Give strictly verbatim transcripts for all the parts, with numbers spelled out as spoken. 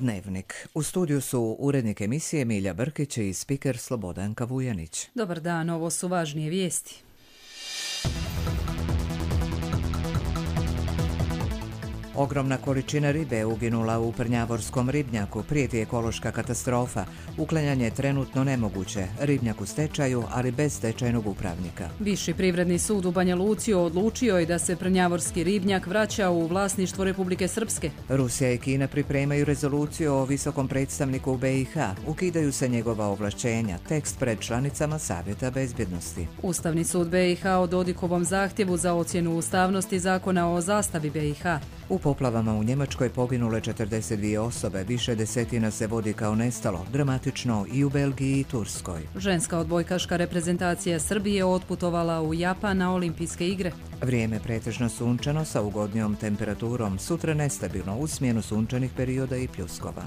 Dnevnik. U studiju su urednik emisije Milja Brkić i spiker Slobodanka Vujanić. Dobar dan, ovo su važnije vijesti. Ogromna količina ribe je uginula u Prnjavorskom ribnjaku, prijeti ekološka katastrofa. Uklanjanje je trenutno nemoguće, ribnjak u stečaju, ali bez stečajnog upravnika. Viši privredni sud u Banja Luci odlučio je da se Prnjavorski ribnjak vraća u vlasništvo Republike Srpske. Rusija i Kina pripremaju rezoluciju o visokom predstavniku u be i ha. Ukidaju se njegova ovlašćenja, tekst pred članicama Savjeta bezbjednosti. Ustavni sud be i ha o Dodikovom zahtjevu za ocjenu ustavnosti zakona o zastavi be i ha. U poplavama u Njemačkoj poginule četrdeset dvije osobe, više desetina se vodi kao nestalo, dramatično i u Belgiji i Turskoj. Ženska odbojkaška reprezentacija Srbije otputovala u Japan na olimpijske igre. Vrijeme pretežno sunčano sa ugodnijom temperaturom, sutra nestabilno u smjenu sunčanih perioda i pljuskova.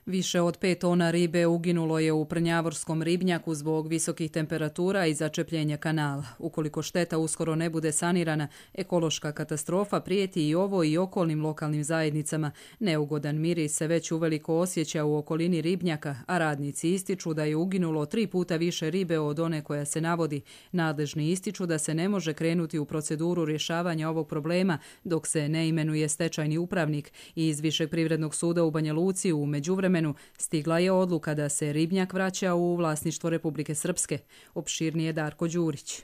Više od pet tona ribe uginulo je u Prnjavorskom ribnjaku zbog visokih temperatura i začepljenja kanala. Ukoliko šteta uskoro ne bude sanirana, ekološka katastrofa prijeti i ovo i okolnim lokalnim zajednicama. Neugodan miris se već uveliko osjeća u okolini ribnjaka, a radnici ističu da je uginulo tri puta više ribe od one koja se navodi. Nadležni ističu da se ne može krenuti u proceduru rješavanja ovog problema dok se ne imenuje stečajni upravnik. I iz Višeg privrednog suda u Banja Luci u međuvremenu stigla je odluka da se ribnjak vraća u vlasništvo Republike Srpske. Opširnije Darko Đurić.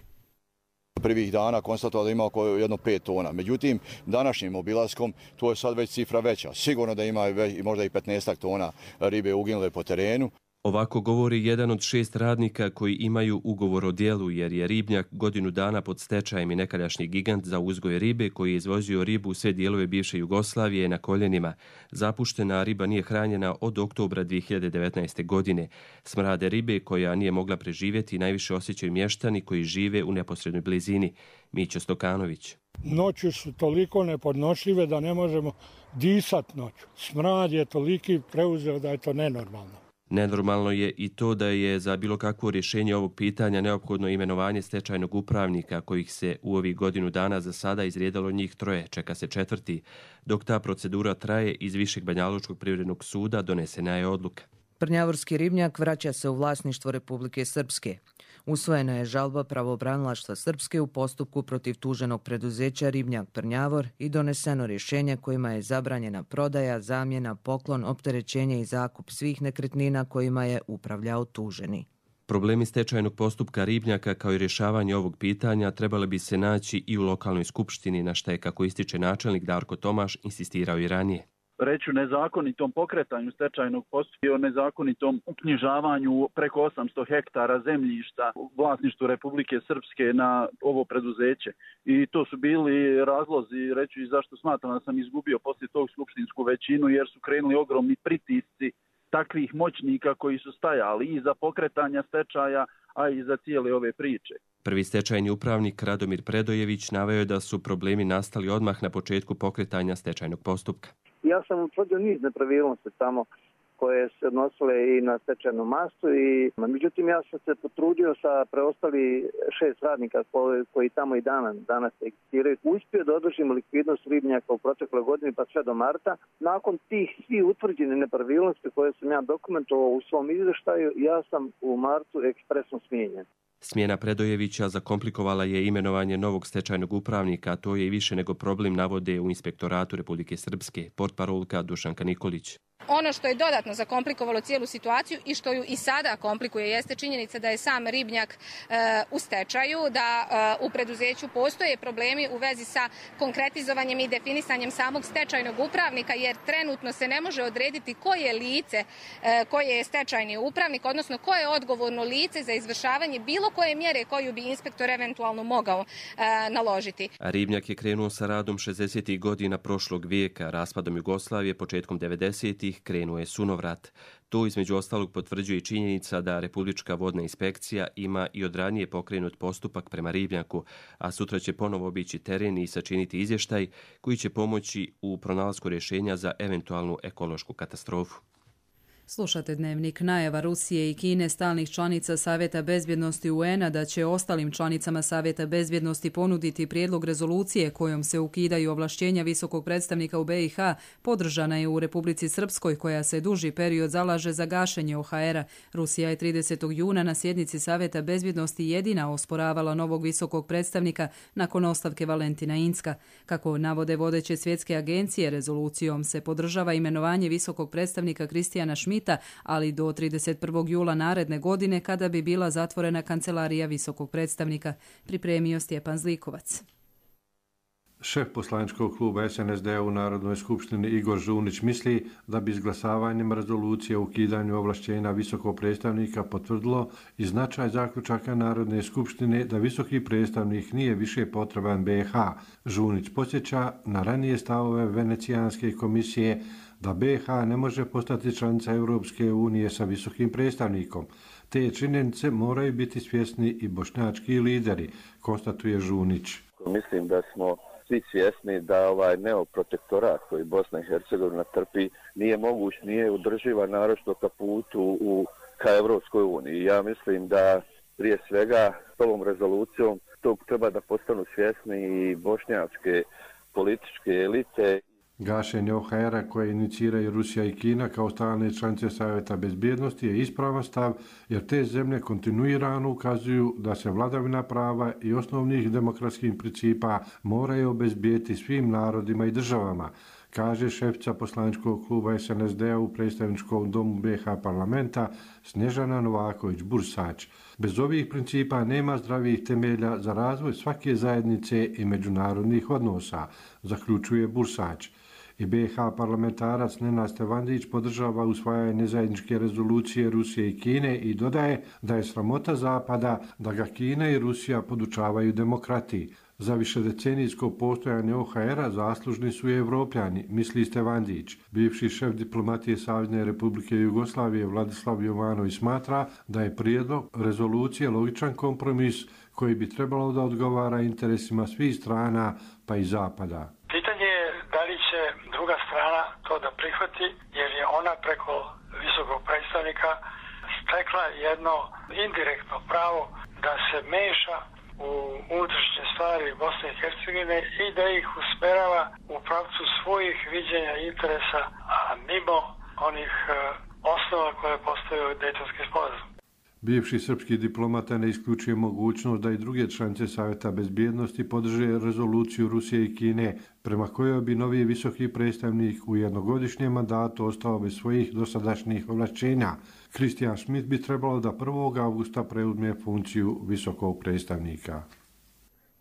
Prvih dana konstatovao da ima oko jedno pet tona. Međutim, današnjim obilaskom to je sad već cifra veća. Sigurno da ima možda i petnaest tona ribe uginule po terenu. Ovako govori jedan od šest radnika koji imaju ugovor o djelu, jer je ribnjak godinu dana pod stečajem i nekadašnji gigant za uzgoj ribe koji je izvozio ribu u sve dijelove bivše Jugoslavije na koljenima. Zapuštena riba nije hranjena od oktobra dvije hiljade devetnaeste. godine. Smrade ribe koja nije mogla preživjeti najviše osjećaju mještani koji žive u neposrednoj blizini. Mićo Stokanović. Noću su toliko nepodnošljive da ne možemo disati noću. Smrad je toliki preuzeo da je to nenormalno. Nenormalno je i to da je za bilo kakvo rješenje ovog pitanja neophodno imenovanje stečajnog upravnika, kojih se u ovih godinu dana za sada izrijedalo njih troje, čeka se četvrti. Dok ta procedura traje, iz Višeg banjalučkog privrednog suda donesena je odluka. Prnjavorski ribnjak vraća se u vlasništvo Republike Srpske. Usvojena je žalba pravobranilaštva Srpske u postupku protiv tuženog preduzeća Ribnjak Prnjavor i doneseno rješenje kojima je zabranjena prodaja, zamjena, poklon, opterećenje i zakup svih nekretnina kojima je upravljao tuženi. Problemi stečajnog postupka ribnjaka kao i rješavanje ovog pitanja trebali bi se naći i u lokalnoj skupštini, na što je, kako ističe načelnik Darko Tomaš, insistirao i ranije. Reći o nezakonitom pokretanju stečajnog postupka i o nezakonitom uknjižavanju preko osamsto hektara zemljišta u vlasništvu Republike Srpske na ovo preduzeće. I to su bili razlozi, reći i zašto smatram da sam izgubio poslije tog skupštinsku većinu, jer su krenuli ogromni pritisci takvih moćnika koji su stajali i za pokretanja stečaja, a i za cijele ove priče. Prvi stečajni upravnik Radomir Predojević naveo je da su problemi nastali odmah na početku pokretanja stečajnog postupka. Ja sam utvrdio niz nepravilnosti tamo koje se odnosile i na stečajnu masu, i međutim ja sam se potrudio sa preostali šest radnika koji, koji tamo i danas, danas egzistiraju. Uspio da održimo likvidnost ribnjaka u protekloj godini pa sve do marta. Nakon tih svih utvrđenih nepravilnosti koje sam ja dokumentovao u svom izvještaju, ja sam u martu ekspresno smijenjen. Smjena Predojevića zakomplikovala je imenovanje novog stečajnog upravnika, a to je i više nego problem, navode u Inspektoratu Republike Srpske, portparolka Dušanka Nikolić. Ono što je dodatno zakomplikovalo cijelu situaciju i što ju i sada komplikuje jeste činjenica da je sam ribnjak e, u stečaju, da e, u preduzeću postoje problemi u vezi sa konkretizovanjem i definisanjem samog stečajnog upravnika, jer trenutno se ne može odrediti koje je lice, e, koje je stečajni upravnik, odnosno koje je odgovorno lice za izvršavanje bilo koje mjere koju bi inspektor eventualno mogao e, naložiti. Ribnjak je krenuo sa radom šezdesetih godina prošlog vijeka, raspadom Jugoslavije početkom devedesetih krenuo je sunovrat. To između ostalog potvrđuje i činjenica da Republička vodna inspekcija ima i od ranije pokrenut postupak prema ribnjaku, a sutra će ponovo obići teren i sačiniti izvještaj koji će pomoći u pronalasku rješenja za eventualnu ekološku katastrofu. Slušate Dnevnik. Najava Rusije i Kine, stalnih članica Savjeta bezbjednosti U N-a, da će ostalim članicama Savjeta bezbjednosti ponuditi prijedlog rezolucije kojom se ukidaju ovlašćenja visokog predstavnika u B i H, podržana je u Republici Srpskoj, koja se duži period zalaže za gašenje O H R-a. Rusija je tridesetog juna na sjednici Savjeta bezbjednosti jedina osporavala novog visokog predstavnika nakon ostavke Valentina Inzka. Kako navode vodeće svjetske agencije, rezolucijom se podržava imenovanje visokog predstavnika Kristijana Schmidta, ali do trideset prvog jula naredne godine, kada bi bila zatvorena kancelarija visokog predstavnika, pripremio Stjepan Zlikovac. Šef poslaničkog kluba S N S D-a u Narodnoj skupštini Igor Žunić misli da bi izglasavanjem rezolucije o ukidanju ovlašćenja visokog predstavnika potvrdilo i značaj zaključaka Narodne skupštine da visoki predstavnik nije više potreban B i H. Žunić podsjeća na ranije stavove Venecijanske komisije da B i H ne može postati članica Europske unije sa visokim predstavnikom. Te činjenice moraju biti svjesni i bošnjački lideri, konstatuje Žunić. Mislim da smo svi svjesni da ovaj neoprotektorat koji Bosna i Hercegovina trpi nije moguć, nije udrživa naročito ka putu u, ka Europskoj uniji. Ja mislim da prije svega s ovom rezolucijom tog treba da postanu svjesni i bošnjačke političke elite. Gašenje O H R-a koje iniciraju Rusija i Kina kao stalne članice Savjeta bezbjednosti je ispravan stav, jer te zemlje kontinuirano ukazuju da se vladavina prava i osnovnih demokratskih principa moraju obezbijeti svim narodima i državama, kaže šefica poslaničkog kluba S N S D-a u predstavničkom domu B i H parlamenta Snježana Novaković-Bursač. Bez ovih principa nema zdravih temelja za razvoj svake zajednice i međunarodnih odnosa, zaključuje Bursač. I B i H parlamentarac Nenad Stevandić podržava usvajanje zajedničke rezolucije Rusije i Kine i dodaje da je sramota Zapada da ga Kina i Rusija podučavaju demokratiji. Za višedecenijsko postojanje O H R-a zaslužni su i Evropljani, misli Stevandić. Bivši šef diplomatije Savezne Republike Jugoslavije Vladislav Jovanović smatra da je prijedlog rezolucije logičan kompromis koji bi trebalo da odgovara interesima svih strana, pa i Zapada. Pitanje je da li će druga strana to da prihvati, jer je ona preko visokog predstavnika stekla jedno indirektno pravo da se meša u unutrašnje stvari Bosne i Hercegovine i da ih usmerava u pravcu svojih viđenja interesa, a mimo onih osnova koje postoje u Dejtonski sporazum. Bivši srpski diplomata ne isključuje mogućnost da i druge članice Savjeta bezbjednosti podrže rezoluciju Rusije i Kine, prema kojoj bi novi visoki predstavnik u jednogodišnjem mandatu ostao bez svojih dosadašnjih ovlašćenja. Kristijan Schmidt bi trebalo da prvog avgusta preuzme funkciju visokog predstavnika.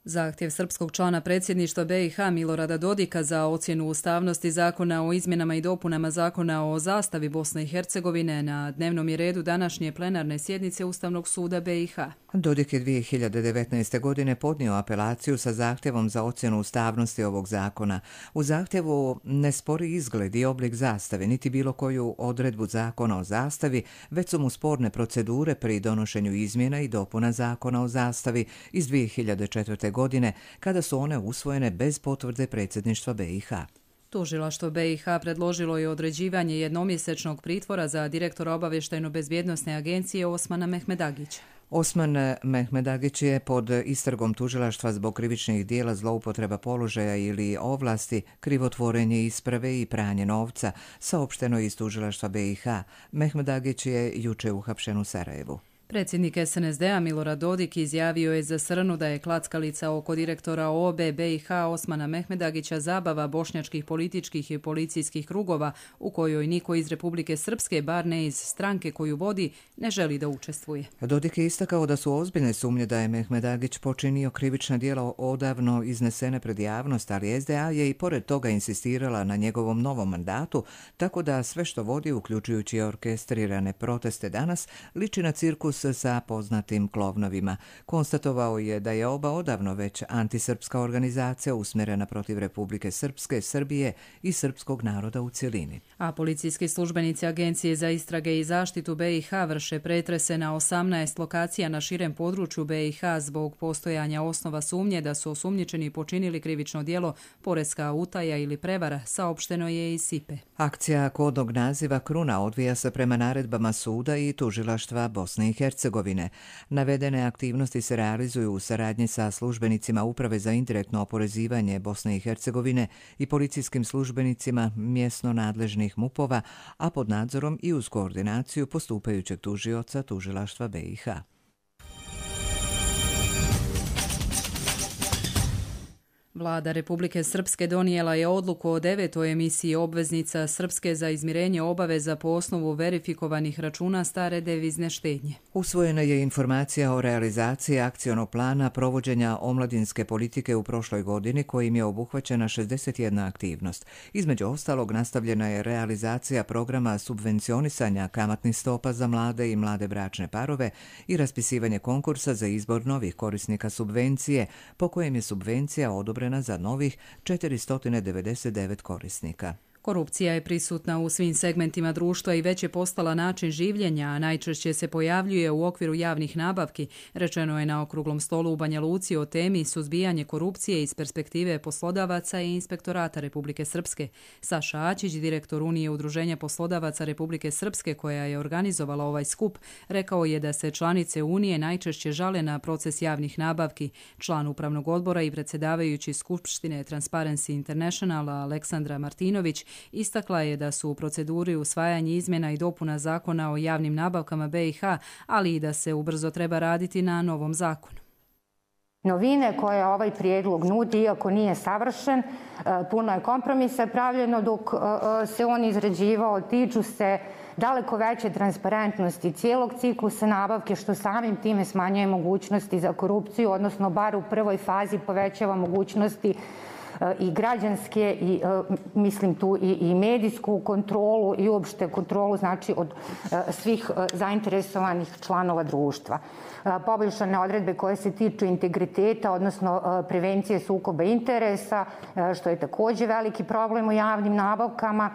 Zahtjev srpskog člana predsjedništva B i H Milorada Dodika za ocjenu ustavnosti zakona o izmjenama i dopunama zakona o zastavi Bosne i Hercegovine na dnevnom je redu današnje plenarne sjednice Ustavnog suda B i H. Dodik je dvije hiljade devetnaeste. godine podnio apelaciju sa zahtjevom za ocjenu ustavnosti ovog zakona. U zahtjevu ne spori izgled i oblik zastave, niti bilo koju odredbu zakona o zastavi, već su mu sporne procedure pri donošenju izmjena i dopuna zakona o zastavi iz dvije hiljade četvrte. godine, kada su one usvojene bez potvrde predsjedništva B i H. Tužilaštvo B i H predložilo je određivanje jednomjesečnog pritvora za direktora obavještajno-bezbjednosne agencije Osmana Mehmedagića. Osman Mehmedagić je pod istragom tužilaštva zbog krivičnih dijela zloupotreba položaja ili ovlasti, krivotvorenje isprave i pranje novca, saopšteno iz tužilaštva B i H. Mehmedagić je juče uhapšen u Sarajevu. Predsjednik S N S D-a Milorad Dodik izjavio je za Srnu da je klackalica oko direktora O B B i H Osmana Mehmedagića zabava bošnjačkih političkih i policijskih krugova u kojoj niko iz Republike Srpske, bar ne iz stranke koju vodi, ne želi da učestvuje. Dodik je istakao da su ozbiljne sumnje da je Mehmedagić počinio krivična djela odavno iznesene pred javnost, ali S D A je i pored toga insistirala na njegovom novom mandatu, tako da sve što vodi, uključujući orkestrirane proteste danas, liči na cirkus autobus sa poznatim klovnovima. Konstatovao je da je oba odavno već antisrpska organizacija usmjerena protiv Republike Srpske, Srbije i srpskog naroda u cjelini. A policijski službenici Agencije za istrage i zaštitu B i H vrše pretrese na osamnaest lokacija na širem području B i H zbog postojanja osnova sumnje da su osumnjičeni počinili krivično djelo poreska utaja ili prevara, saopšteno je iz S I P E. Akcija kodnog naziva Kruna odvija se prema naredbama suda i tužilaštva Bosne i Hercegovine. Navedene aktivnosti se realizuju u saradnji sa službenicima Uprave za indirektno oporezivanje Bosne i Hercegovine i policijskim službenicima mjesno nadležnih MUP-ova, a pod nadzorom i uz koordinaciju postupajućeg tužioca tužilaštva B i H. Vlada Republike Srpske donijela je odluku o devetoj emisiji obveznica Srpske za izmirenje obaveza po osnovu verifikovanih računa stare devizne štednje. Usvojena je informacija o realizaciji akcionog plana provođenja omladinske politike u prošloj godini kojim je obuhvaćena šezdeset jedna aktivnost. Između ostalog nastavljena je realizacija programa subvencionisanja kamatnih stopa za mlade i mlade bračne parove i raspisivanje konkursa za izbor novih korisnika subvencije, po kojem je subvencija odobrena za novih četiristo devedeset devet korisnika. Korupcija je prisutna u svim segmentima društva i već je postala način življenja, a najčešće se pojavljuje u okviru javnih nabavki, rečeno je na okruglom stolu u Banja Luci o temi suzbijanje korupcije iz perspektive poslodavaca i inspektorata Republike Srpske. Saša Ačić, direktor Unije udruženja poslodavaca Republike Srpske koja je organizovala ovaj skup, rekao je da se članice Unije najčešće žale na proces javnih nabavki. Član upravnog odbora i predsjedavajući Skupštine Transparency Internationala Aleksandra Martinović istakla je da su u proceduri usvajanja izmjena i dopuna zakona o javnim nabavkama B i H, ali i da se ubrzo treba raditi na novom zakonu. Novine koje ovaj prijedlog nudi, iako nije savršen, puno je kompromisa pravljeno dok se on izrađivao, tiču se daleko veće transparentnosti cijelog ciklusa nabavke, što samim time smanjuje mogućnosti za korupciju, odnosno bar u prvoj fazi povećava mogućnosti i građanske i mislim tu i, i medijsku kontrolu i uopšte kontrolu znači od svih zainteresovanih članova društva. Poboljšane odredbe koje se tiču integriteta, odnosno prevencije sukoba interesa, što je također veliki problem u javnim nabavkama.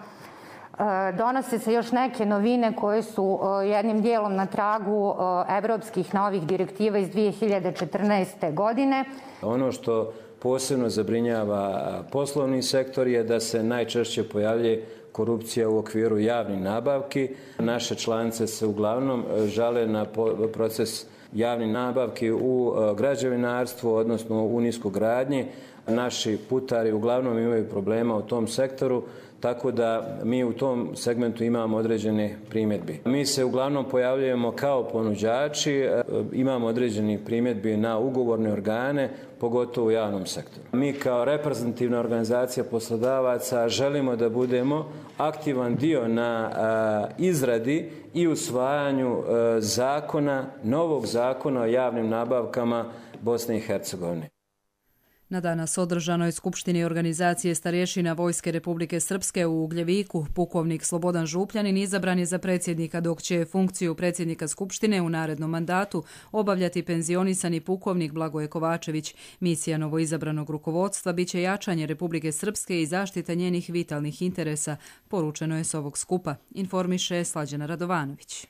Donose se još neke novine koje su jednim dijelom na tragu evropskih novih direktiva iz dvije hiljade četrnaeste. godine. Ono što posebno zabrinjava poslovni sektor je da se najčešće pojavljuje korupcija u okviru javnih nabavki. Naše članice se uglavnom žale na proces javnih nabavki u građevinarstvu, odnosno u niskogradnji. Naši putari uglavnom imaju problema u tom sektoru, tako da mi u tom segmentu imamo određene primjedbi. Mi se uglavnom pojavljujemo kao ponuđači, imamo određene primjedbi na ugovorne organe, pogotovo u javnom sektoru. Mi kao reprezentativna organizacija poslodavaca želimo da budemo aktivan dio na izradi i usvajanju zakona, novog zakona o javnim nabavkama Bosne i Hercegovine. Na danas održanoj skupštini organizacije starješina Vojske Republike Srpske u Ugljeviku, pukovnik Slobodan Župljanin izabran je za predsjednika, dok će funkciju predsjednika skupštine u narednom mandatu obavljati penzionisani pukovnik Blagoje Kovačević. Misija novoizabranog rukovodstva biće jačanje Republike Srpske i zaštita njenih vitalnih interesa, poručeno je s ovog skupa, informiše Slađana Radovanović.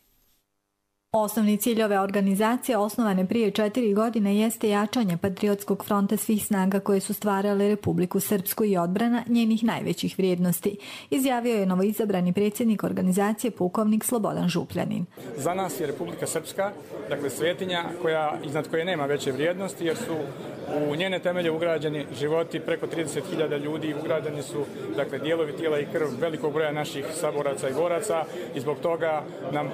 Osnovni cilj ove organizacije, osnovane prije četiri godine, jeste jačanje patriotskog fronta svih snaga koje su stvarale Republiku Srpsku i odbrana njenih najvećih vrijednosti, izjavio je novoizabrani predsjednik organizacije pukovnik Slobodan Župljanin. Za nas je Republika Srpska, dakle svetinja koja, iznad koje nema veće vrijednosti, jer su u njene temelje ugrađeni životi preko trideset hiljada ljudi, ugrađeni su dakle dijelovi tijela i krv velikog broja naših saboraca i boraca i zbog toga nam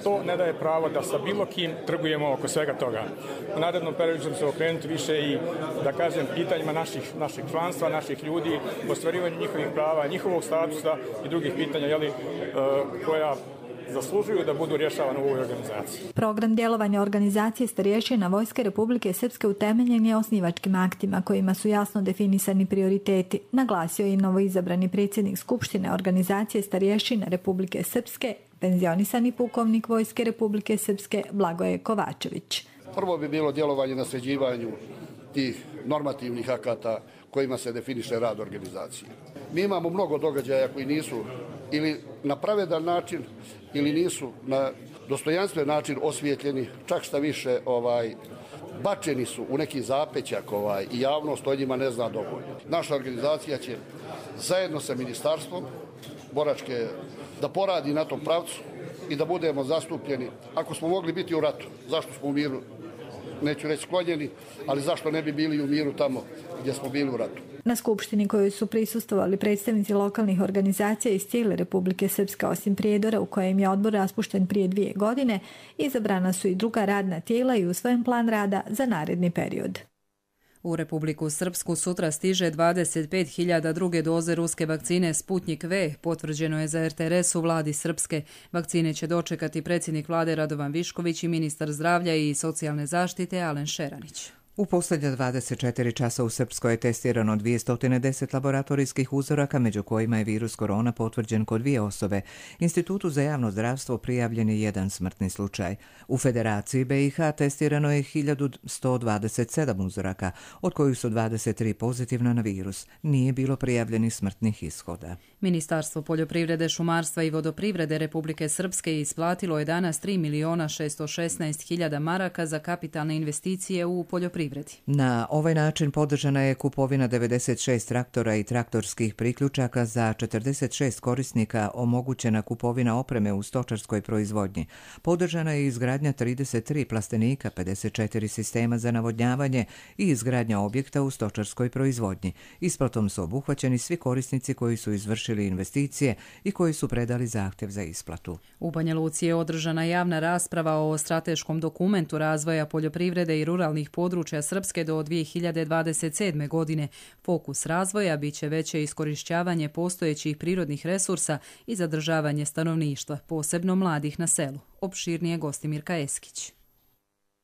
to ne daje pravo da sa bilo kim trgujemo oko svega toga. U narednom periodu ćemo se okrenuti više i, da kažem, pitanjima naših, naših članstva, naših ljudi, ostvarivanju njihovih prava, njihovog statusa i drugih pitanja, jeli, koja zaslužuju da budu rješavane u ovoj organizaciji. Program djelovanja organizacije starješina Vojske Republike Srpske utemeljen je osnivačkim aktima kojima su jasno definisani prioriteti, naglasio je i novoizabrani predsjednik Skupštine organizacije starješina Republike Srpske, penzionisani pukovnik Vojske Republike Srpske Blagoje Kovačević. Prvo bi bilo djelovanje na sređivanju tih normativnih akata kojima se definiše rad organizacije. Mi imamo mnogo događaja koji nisu ili na pravedan način ili nisu na dostojanstven način osvijetljeni, čak šta više ovaj, bačeni su u neki zapećak ovaj, i javnost o njima ne zna dovoljno. Naša organizacija će zajedno sa ministarstvom boračke da poradi na tom pravcu i da budemo zastupljeni. Ako smo mogli biti u ratu, zašto smo u miru? Neću reći sklonjeni, ali zašto ne bi bili u miru tamo gdje smo bili u ratu. Na skupštini kojoj su prisustvovali predstavnici lokalnih organizacija iz cijele Republike Srpske osim Prijedora u kojem je odbor raspušten prije dvije godine, izabrana su i druga radna tijela i usvojen plan rada za naredni period. U Republiku Srpsku sutra stiže dvadeset pet hiljada druge doze ruske vakcine Sputnik V, potvrđeno je za er te er es u vladi Srpske. Vakcine će dočekati predsjednik vlade Radovan Višković i ministar zdravlja i socijalne zaštite Alen Šeranić. U posljednja dvadeset četiri časa u Srpskoj je testirano dvjesto deset laboratorijskih uzoraka, među kojima je virus korona potvrđen kod dvije osobe. Institutu za javno zdravstvo prijavljen je jedan smrtni slučaj. U Federaciji be i ha testirano je hiljadu sto dvadeset sedam uzoraka, od kojih su dvadeset tri pozitivna na virus. Nije bilo prijavljenih smrtnih ishoda. Ministarstvo poljoprivrede, šumarstva i vodoprivrede Republike Srpske isplatilo je danas tri milijuna šesto šesnaest hiljada maraka za kapitalne investicije u poljoprivredi. Na ovaj način podržana je kupovina devedeset šest traktora i traktorskih priključaka za četrdeset šest korisnika, omogućena kupovina opreme u stočarskoj proizvodnji. Podržana je izgradnja trideset tri plastenika, pedeset četiri sistema za navodnjavanje i izgradnja objekta u stočarskoj proizvodnji. Isplatom su obuhvaćeni svi korisnici koji su izvršili investicije i koji su predali zahtjev za isplatu. U Banja Luci je održana javna rasprava o strateškom dokumentu razvoja poljoprivrede i ruralnih područja Srpske do dvije hiljade dvadeset sedme. godine. Fokus razvoja biće veće iskorišćavanje postojećih prirodnih resursa i zadržavanje stanovništva, posebno mladih na selu. Opširnije Gostimirka Eskić.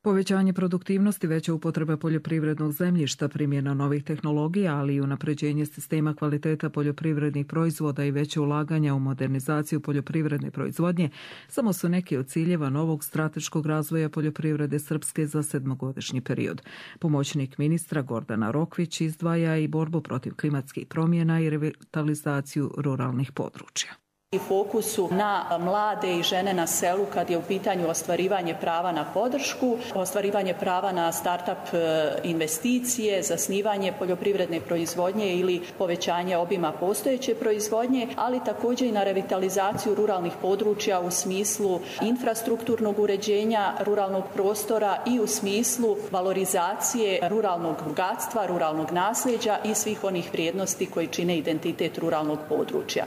Povećanje produktivnosti, veća upotreba poljoprivrednog zemljišta, primjena novih tehnologija, ali i unapređenje sistema kvaliteta poljoprivrednih proizvoda i veće ulaganja u modernizaciju poljoprivredne proizvodnje samo su neki od ciljeva novog strateškog razvoja poljoprivrede Srpske za sedmogodišnji period. Pomoćnik ministra Gordana Rokvić izdvaja i borbu protiv klimatskih promjena i revitalizaciju ruralnih područja. I fokusu na mlade i žene na selu kad je u pitanju ostvarivanje prava na podršku, ostvarivanje prava na start-up investicije, zasnivanje poljoprivredne proizvodnje ili povećanje obima postojeće proizvodnje, ali također i na revitalizaciju ruralnih područja u smislu infrastrukturnog uređenja ruralnog prostora i u smislu valorizacije ruralnog bogatstva, ruralnog nasljeđa i svih onih vrijednosti koji čine identitet ruralnog područja.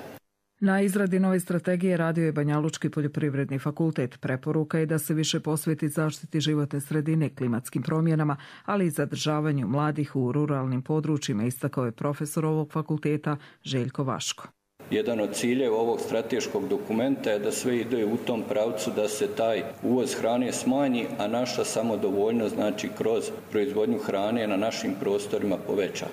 Na izradi nove strategije radio je Banjalučki poljoprivredni fakultet. Preporuka je da se više posveti zaštiti životne sredine, klimatskim promjenama, ali i zadržavanju mladih u ruralnim područjima, istakao je profesor ovog fakulteta Željko Vaško. Jedan od ciljeva ovog strateškog dokumenta je da sve ide u tom pravcu da se taj uvoz hrane smanji, a naša samodovoljnost, znači kroz proizvodnju hrane na našim prostorima, poveća.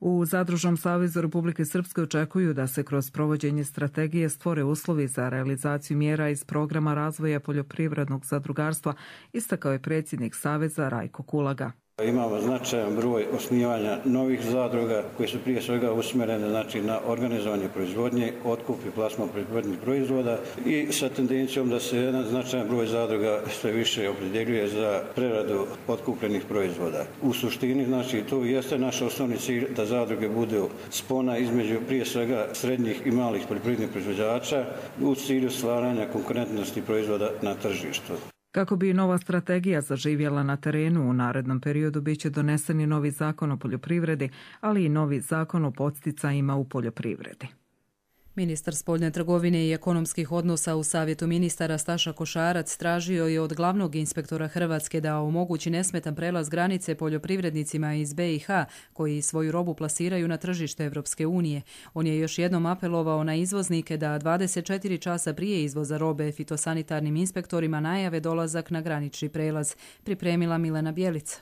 U Zadružnom savezu Republike Srpske očekuju da se kroz provođenje strategije stvore uslovi za realizaciju mjera iz programa razvoja poljoprivrednog zadrugarstva, istakao je predsjednik Saveza Rajko Kulaga. Imamo značajan broj osnivanja novih zadruga koji su prije svega usmjerene znači, na organizovanje proizvodnje, otkup i plasman proizvodnih proizvoda i sa tendencijom da se jedan značajan broj zadruga sve više opredjeljuje za preradu otkupljenih proizvoda. U suštini, znači, to jeste naš osnovni cilj da zadruge budu spona između prije svega srednjih i malih poljoprivrednih proizvođača u cilju stvaranja konkurentnosti proizvoda na tržištu. Kako bi nova strategija zaživjela na terenu, u narednom periodu biće donesen i novi zakon o poljoprivredi, ali i novi zakon o podsticajima u poljoprivredi. Ministar spoljne trgovine i ekonomskih odnosa u Savjetu ministara Staša Košarac tražio je od glavnog inspektora Hrvatske da omogući nesmetan prelaz granice poljoprivrednicima iz be i ha koji svoju robu plasiraju na tržište Evropske unije. On je još jednom apelovao na izvoznike da dvadeset četiri časa prije izvoza robe fitosanitarnim inspektorima najave dolazak na granični prelaz. Pripremila Milena Bjelica.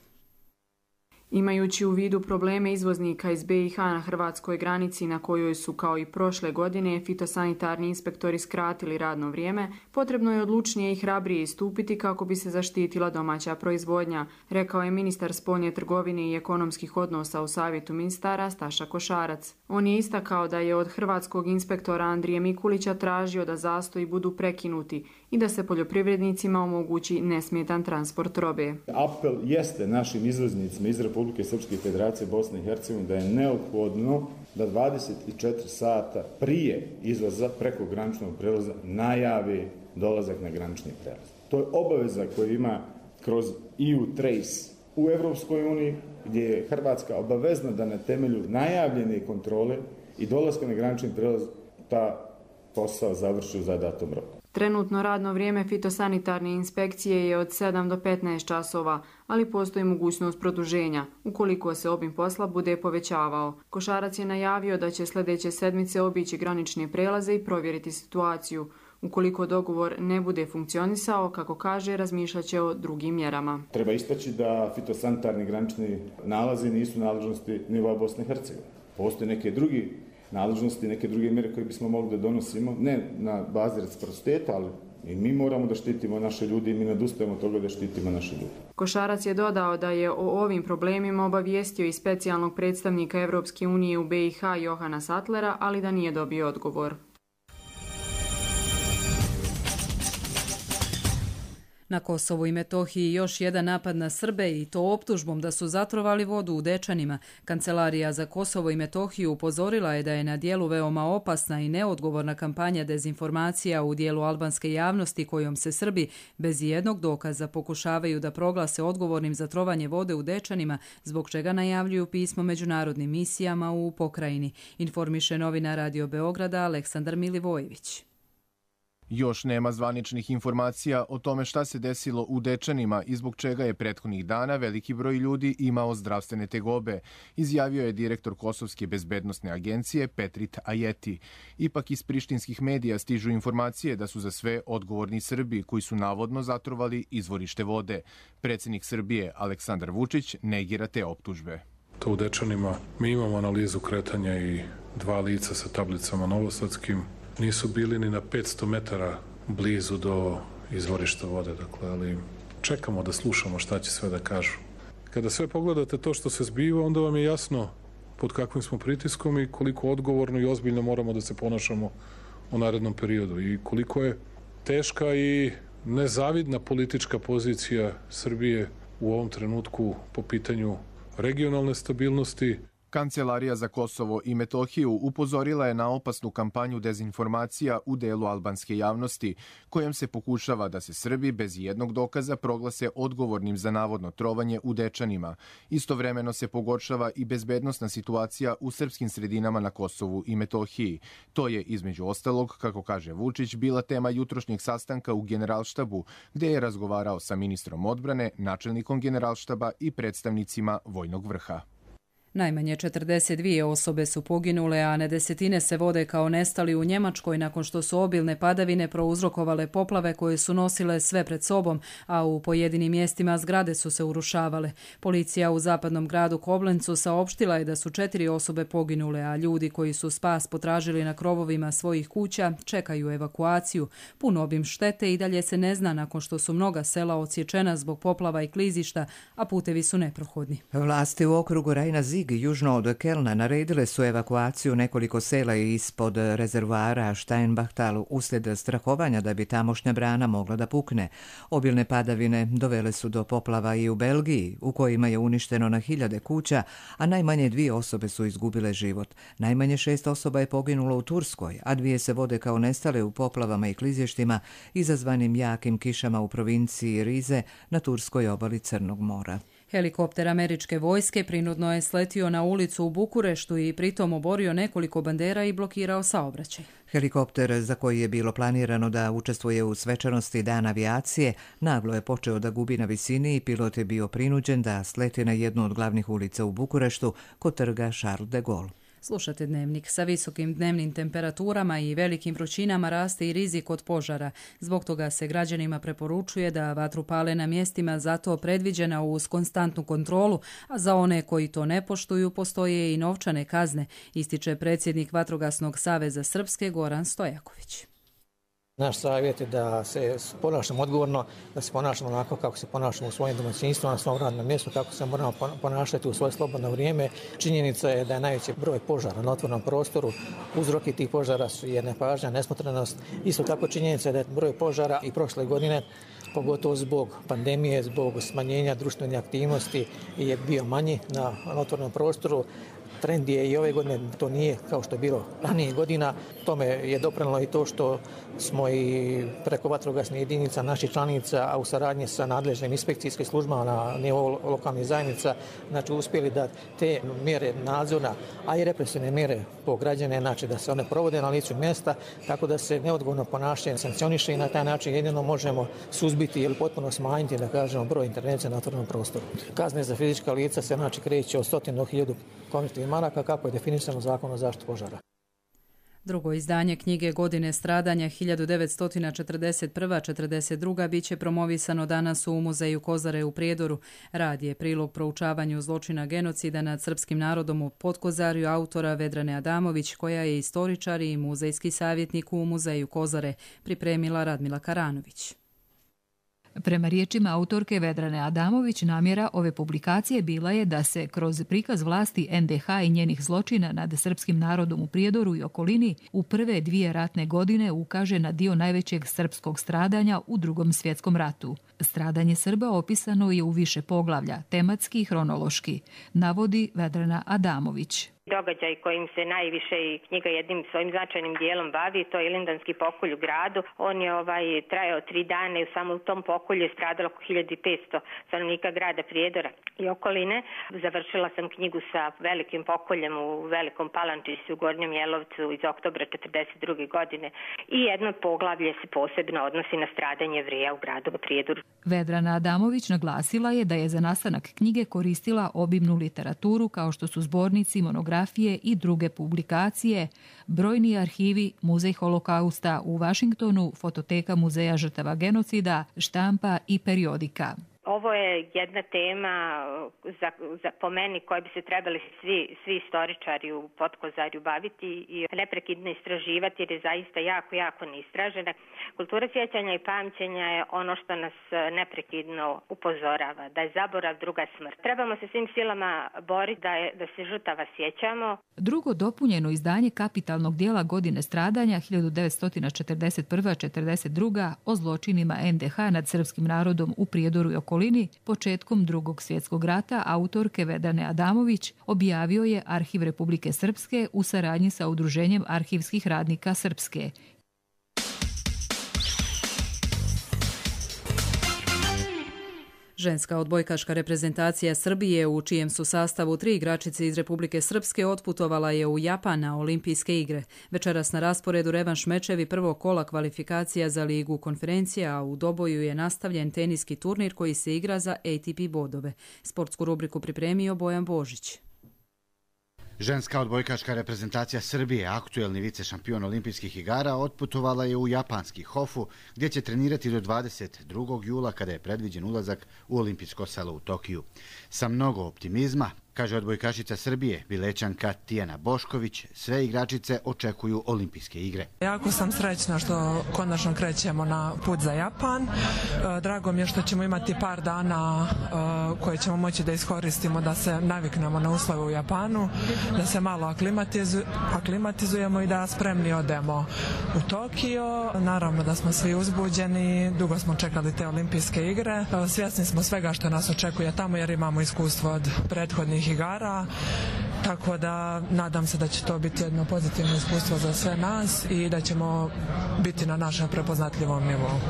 Imajući u vidu probleme izvoznika iz be i ha na hrvatskoj granici na kojoj su kao i prošle godine fitosanitarni inspektori skratili radno vrijeme, potrebno je odlučnije i hrabrije istupiti kako bi se zaštitila domaća proizvodnja, rekao je ministar spoljne trgovine i ekonomskih odnosa u Savjetu ministara Staša Košarac. On je istakao da je od hrvatskog inspektora Andrije Mikulića tražio da zastoji budu prekinuti i da se poljoprivrednicima omogući nesmetan transport robe. Apel jeste našim izvoznicima iz Republike Srpske Federacije Bosne i Hercegovine da je neophodno da dvadeset četiri sata prije izlaza preko graničnog prelaza najavi dolazak na granični prelaz. To je obaveza koju ima kroz E U Trace u Evropskoj uniji, gdje je Hrvatska obavezna da na temelju najavljene kontrole i dolaska na granični prelaz ta posao završi u zadatom roku. Trenutno radno vrijeme fitosanitarne inspekcije je od sedam do petnaest časova, ali postoji mogućnost produženja, ukoliko se obim posla bude povećavao. Košarac je najavio da će sljedeće sedmice obići granične prelaze i provjeriti situaciju. Ukoliko dogovor ne bude funkcionisao, kako kaže, razmišljat će o drugim mjerama. Treba istaći da fitosanitarni granični nalazi nisu nadležnosti nivoa Bosne i Hercegovine. Postoje neke drugi nadležnosti, neke druge mjere koje bismo mogli da donosimo, ne na bazi reciprociteta, ali i mi moramo da štitimo naše ljudi i mi ne odustajemo od toga da štitimo naše ljudi. Košarac je dodao da je o ovim problemima obavijestio i specijalnog predstavnika Evropske unije u be i ha Johana Sattlera, ali da nije dobio odgovor. Na Kosovu i Metohiji još jedan napad na Srbe i to optužbom da su zatrovali vodu u Dečanima. Kancelarija za Kosovo i Metohiju upozorila je da je na dijelu veoma opasna i neodgovorna kampanja dezinformacija u dijelu albanske javnosti kojom se Srbi bez jednog dokaza pokušavaju da proglase odgovornim za trovanje vode u Dečanima, zbog čega najavljuju pismo međunarodnim misijama u pokrajini. Informiše novinar Radio Beograda Aleksandar Milivojević. Još nema zvaničnih informacija o tome šta se desilo u Dečanima i zbog čega je prethodnih dana veliki broj ljudi imao zdravstvene tegobe, izjavio je direktor Kosovske bezbednosne agencije Petrit Ajeti. Ipak iz prištinskih medija stižu informacije da su za sve odgovorni Srbi koji su navodno zatrovali izvorište vode. Predsjednik Srbije Aleksandar Vučić negira te optužbe. To u Dečanima mi imamo analizu kretanja i dva lica sa tablicama novosadskim. Nisu bili ni na petsto metara blizu do izvorišta vode, dakle, ali čekamo da slušamo šta će sve da kažu. Kada sve pogledate to što se zbiva, onda vam je jasno pod kakvim smo pritiskom i koliko odgovorno i ozbiljno moramo da se ponašamo u narednom periodu i koliko je teška i nezavidna politička pozicija Srbije u ovom trenutku po pitanju regionalne stabilnosti. Kancelarija za Kosovo i Metohiju upozorila je na opasnu kampanju dezinformacija u delu albanske javnosti, kojom se pokušava da se Srbi bez jednog dokaza proglase odgovornim za navodno trovanje u Dečanima. Istovremeno se pogoršava i bezbednosna situacija u srpskim sredinama na Kosovu i Metohiji. To je, između ostalog, kako kaže Vučić, bila tema jutrošnjeg sastanka u Generalštabu, gde je razgovarao sa ministrom odbrane, načelnikom Generalštaba i predstavnicima vojnog vrha. Najmanje četrdeset dvije osobe su poginule, a na desetine se vode kao nestali u Njemačkoj nakon što su obilne padavine prouzrokovale poplave koje su nosile sve pred sobom, a u pojedinim mjestima zgrade su se urušavale. Policija u zapadnom gradu Koblencu saopštila je da su četiri osobe poginule, a ljudi koji su spas potražili na krovovima svojih kuća čekaju evakuaciju. Pun obim štete i dalje se ne zna nakon što su mnoga sela odsječena zbog poplava i klizišta, a putevi su neprohodni. Vlasti u okrugu Rajna južno od Kelna naredile su evakuaciju nekoliko sela ispod rezervoara Steinbachtal uslijed strahovanja da bi tamošnja brana mogla da pukne. Obilne padavine dovele su do poplava i u Belgiji, u kojima je uništeno na hiljade kuća, a najmanje dvije osobe su izgubile život. Najmanje šest osoba je poginulo u Turskoj, a dvije se vode kao nestale u poplavama i klizještima izazvanim jakim kišama u provinciji Rize na turskoj obali Crnog mora. Helikopter američke vojske prinudno je sletio na ulicu u Bukureštu i pritom oborio nekoliko bandera i blokirao saobraćaj. Helikopter, za koji je bilo planirano da učestvuje u svečanosti Dan avijacije, naglo je počeo da gubi na visini i pilot je bio prinuđen da sleti na jednu od glavnih ulica u Bukureštu kod trga Charles de Gaulle. Slušate Dnevnik. Sa visokim dnevnim temperaturama i velikim vrućinama raste i rizik od požara. Zbog toga se građanima preporučuje da vatru pale na mjestima za to predviđena uz konstantnu kontrolu, a za one koji to ne poštuju postoje i novčane kazne, ističe predsjednik Vatrogasnog saveza Srpske Goran Stojaković. Naš savjet je da se ponašamo odgovorno, da se ponašamo onako kako se ponašamo u svojim domaćinstvima, na svom radnom mjestu, kako se moramo ponašati u svoje slobodno vrijeme. Činjenica je da je najveći broj požara na otvorenom prostoru. Uzroki tih požara su je nepažnja, nesmotrenost. Isto tako činjenica je da je broj požara i prošle godine, pogotovo zbog pandemije, zbog smanjenja društvene aktivnosti, je bio manji na otvorenom prostoru. Trend je i ove godine, to nije kao što je bilo ranije godina. Tome je doprinijelo i to što smo i preko vatrogasnih jedinica naših članica, a u saradnji sa nadležnim inspekcijskim službama na nivou lokalnih zajednica, znači uspjeli da te mjere nadzora, a i represivne mjere po građane, znači da se one provode na licu mjesta, tako da se neodgovorno ponašanje sankcioniše i na taj način jedino možemo suzbiti ili potpuno smanjiti, da kažemo, broj intervencija na otvorenom prostoru. Kazne za fizička lica se znači kreće od stotinu do hiljadu konvertivnih maraka, kako je definisano Zakon o zaštiti požara. Drugo izdanje knjige Godine stradanja hiljadu devetsto četrdeset prva do četrdeset druga biće promovisano danas u Muzeju Kozare u Prijedoru. Rad je prilog proučavanju zločina genocida nad srpskim narodom u Podkozarju autora Vedrane Adamović, koja je istoričar i muzejski savjetnik u Muzeju Kozare, pripremila Radmila Karanović. Prema riječima autorke Vedrane Adamović, namjera ove publikacije bila je da se kroz prikaz vlasti en de ha i njenih zločina nad srpskim narodom u Prijedoru i okolini u prve dvije ratne godine ukaže na dio najvećeg srpskog stradanja u Drugom svjetskom ratu. Stradanje Srba opisano je u više poglavlja, tematski i hronološki, navodi Vedrana Adamović. Događaj kojim se najviše i knjiga jednim svojim značajnim dijelom bavi, to je Ilindanski pokolj u gradu. On je ovaj trajao tri dana i samo u tom pokolju je stradalo oko hiljadu petsto stanovnika grada Prijedora i okoline. Završila sam knjigu sa velikim pokoljem u Velikom Palančiću u Gornjem Jelovcu iz oktobra četrdeset druge godine i jedno poglavlje se posebno odnosi na stradanje Jevrija u gradu Prijedoru. Vedrana Adamović naglasila je da je za nastanak knjige koristila obimnu literaturu kao što su zbornici, monografije i druge publikacije, brojni arhivi, Muzej holokausta u Vašingtonu, fototeka Muzeja žrtava genocida, štampa i periodika. Ovo je jedna tema za, za, po meni koje bi se trebali svi, svi istoričari u Podkozarju baviti i neprekidno istraživati, jer je zaista jako, jako neistražena. Kultura sjećanja i pamćenja je ono što nas neprekidno upozorava, da je zaborav druga smrt. Trebamo se svim silama boriti da, je, da se žrtava sjećamo. Drugo dopunjeno izdanje kapitalnog dijela Godine stradanja hiljadu devetsto četrdeset prva do četrdeset druga o zločinima en de ha nad srpskim narodom u Prijedoru i okolini početkom Drugog svjetskog rata autorke Vedrane Adamović objavio je Arhiv Republike Srpske u saradnji sa Udruženjem arhivskih radnika Srpske. Ženska odbojkaška reprezentacija Srbije, u čijem su sastavu tri igračice iz Republike Srpske, otputovala je u Japan na olimpijske igre. Večeras na rasporedu revanš mečevi prvog kola kvalifikacija za ligu konferencija, a u doboju je nastavljen teniski turnir koji se igra za A T P bodove. Sportsku rubriku pripremio Bojan Božić. Ženska odbojkaška reprezentacija Srbije, aktuelni vice šampion olimpijskih igara, otputovala je u japanski Hofu, gdje će trenirati do dvadeset drugog jula kada je predviđen ulazak u olimpijsko selo u Tokiju. Sa mnogo optimizma, kaže odbojkašica Srbije, Bilećanka Tijana Bošković, sve igračice očekuju olimpijske igre. Jako sam srećna što konačno krećemo na put za Japan. Drago mi je što ćemo imati par dana koje ćemo moći da iskoristimo da se naviknemo na uslove u Japanu, da se malo aklimatizu, aklimatizujemo i da spremni odemo u Tokio. Naravno da smo svi uzbuđeni, dugo smo čekali te olimpijske igre. Svjesni smo svega što nas očekuje tamo jer imamo iskustvo od prethodnih igara, tako da nadam se da će to biti jedno pozitivno iskustvo za sve nas i da ćemo biti na našem prepoznatljivom nivou.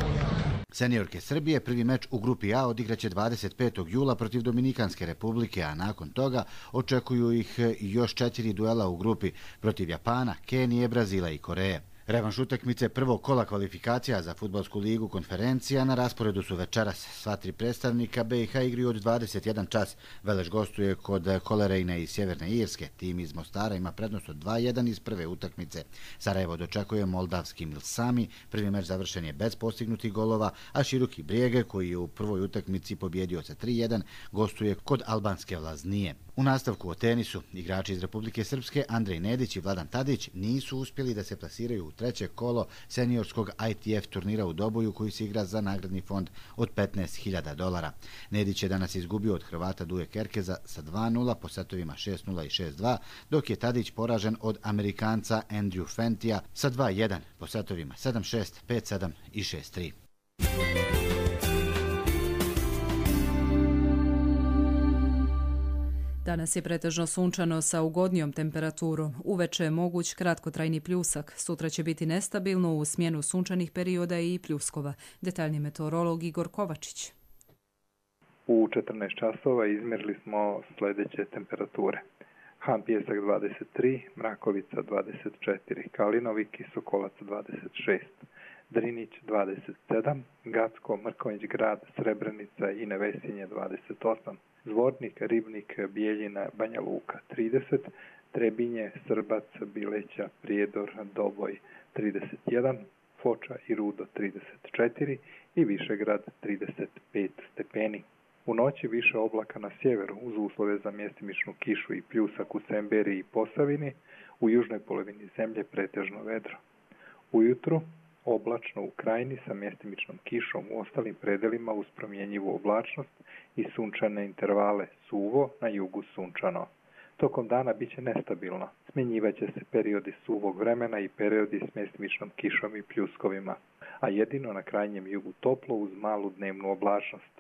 Seniorke Srbije prvi meč u grupi A odigraće dvadeset petog jula protiv Dominikanske republike, a nakon toga očekuju ih još četiri duela u grupi protiv Japana, Kenije, Brazila i Koreje. Revanš utakmice prvog kola kvalifikacija za Fudbalsku ligu konferencija na rasporedu su večeras. Sva tri predstavnika B i H igraju od dvadeset jedan čas. Veleš gostuje kod Kolerejne iz Sjeverne Irske. Tim iz Mostara ima prednost od dva jedan iz prve utakmice. Sarajevo dočekuje moldavski Milsami. Prvi meč završen je bez postignutih golova, a Široki Brijege, koji je u prvoj utakmici pobjedio sa tri jedan, gostuje kod albanske Vlaznije. U nastavku o tenisu, igrači iz Republike Srpske Andrej Nedić i Vladan Tadić nisu uspjeli da se plasiraju u treće kolo seniorskog I T F turnira u Doboju koji se igra za nagradni fond od petnaest hiljada dolara. Nedić je danas izgubio od Hrvata Duje Kerkeza sa dva nula po setovima šest nula i šest dva, dok je Tadić poražen od Amerikanca Andrew Fentija sa dva jedan po setovima sedam šest, pet sedam i šest tri. Danas je pretežno sunčano sa ugodnijom temperaturom. Uveče je moguć kratkotrajni pljusak. Sutra će biti nestabilno u smjenu sunčanih perioda i pljuskova. Detaljni meteorolog Igor Kovačić. U četrnaest časova izmjerili smo sljedeće temperature. Han Pijesak dvadeset tri, Mrakovica dvadeset četiri, Kalinovik i Sokolac dvadeset šest, Drinić dvadeset sedam, Gacko, Mrkonjić grad, Srebrenica i Nevesinje dvadeset osam, Zvornik, Ribnik, Bijeljina, Banja Luka trideset, Trebinje, Srbac, Bileća, Prijedor, Doboj trideset jedan, Foča i Rudo trideset četiri i Višegrad trideset pet stepeni. U noći više oblaka na sjeveru uz uslove za mjestimičnu kišu i pljusak u Semberiji i Posavini, u južnoj polovini zemlje pretežno vedro. Ujutru oblačno u krajini sa mjestimičnom kišom, u ostalim predelima uz promjenjivu oblačnost i sunčane intervale, suvo, na jugu sunčano. Tokom dana bit će nestabilno. Smjenjivat će se periodi suvog vremena i periodi s mjestimičnom kišom i pljuskovima, a jedino na krajnjem jugu toplo uz malu dnevnu oblačnost.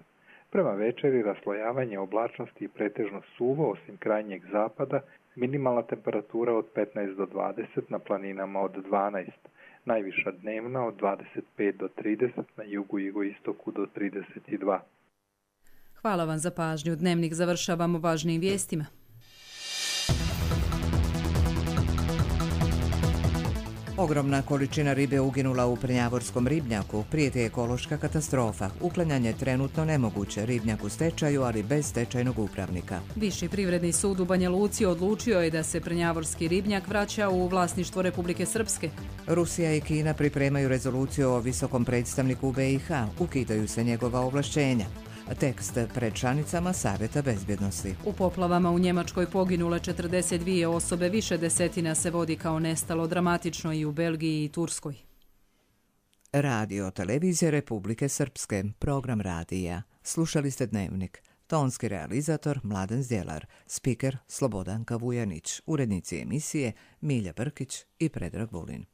Prema večeri raslojavanje oblačnosti i pretežno suvo osim krajnjeg zapada, minimalna temperatura od petnaest do dvadeset, na planinama od dvanaest, najviša dnevna od dvadeset pet do trideset, na jugu i jugoistoku do trideset dva. Hvala vam za pažnju. Dnevnik završavamo važnijim vijestima. Ogromna količina ribe uginula u Prnjavorskom ribnjaku. Prijeti ekološka katastrofa. Uklanjanje trenutno nemoguće. Ribnjak u stečaju, ali bez stečajnog upravnika. Viši privredni sud u Banja Luci odlučio je da se Prnjavorski ribnjak vraća u vlasništvo Republike Srpske. Rusija i Kina pripremaju rezoluciju o visokom predstavniku u B i H. Ukidaju se njegova ovlašćenja. Tekst pred članicama Savjeta bezbjednosti. U poplavama u Njemačkoj poginule četrdeset dvije osobe, više desetina se vodi kao nestalo, dramatično i u Belgiji i Turskoj. Radio televizije Republike Srpske, program radija. Slušali ste Dnevnik. Tonski realizator Mladen Zdjelar, spiker Slobodanka Vujanić, urednici emisije Milja Brkić i Predrag Vulin.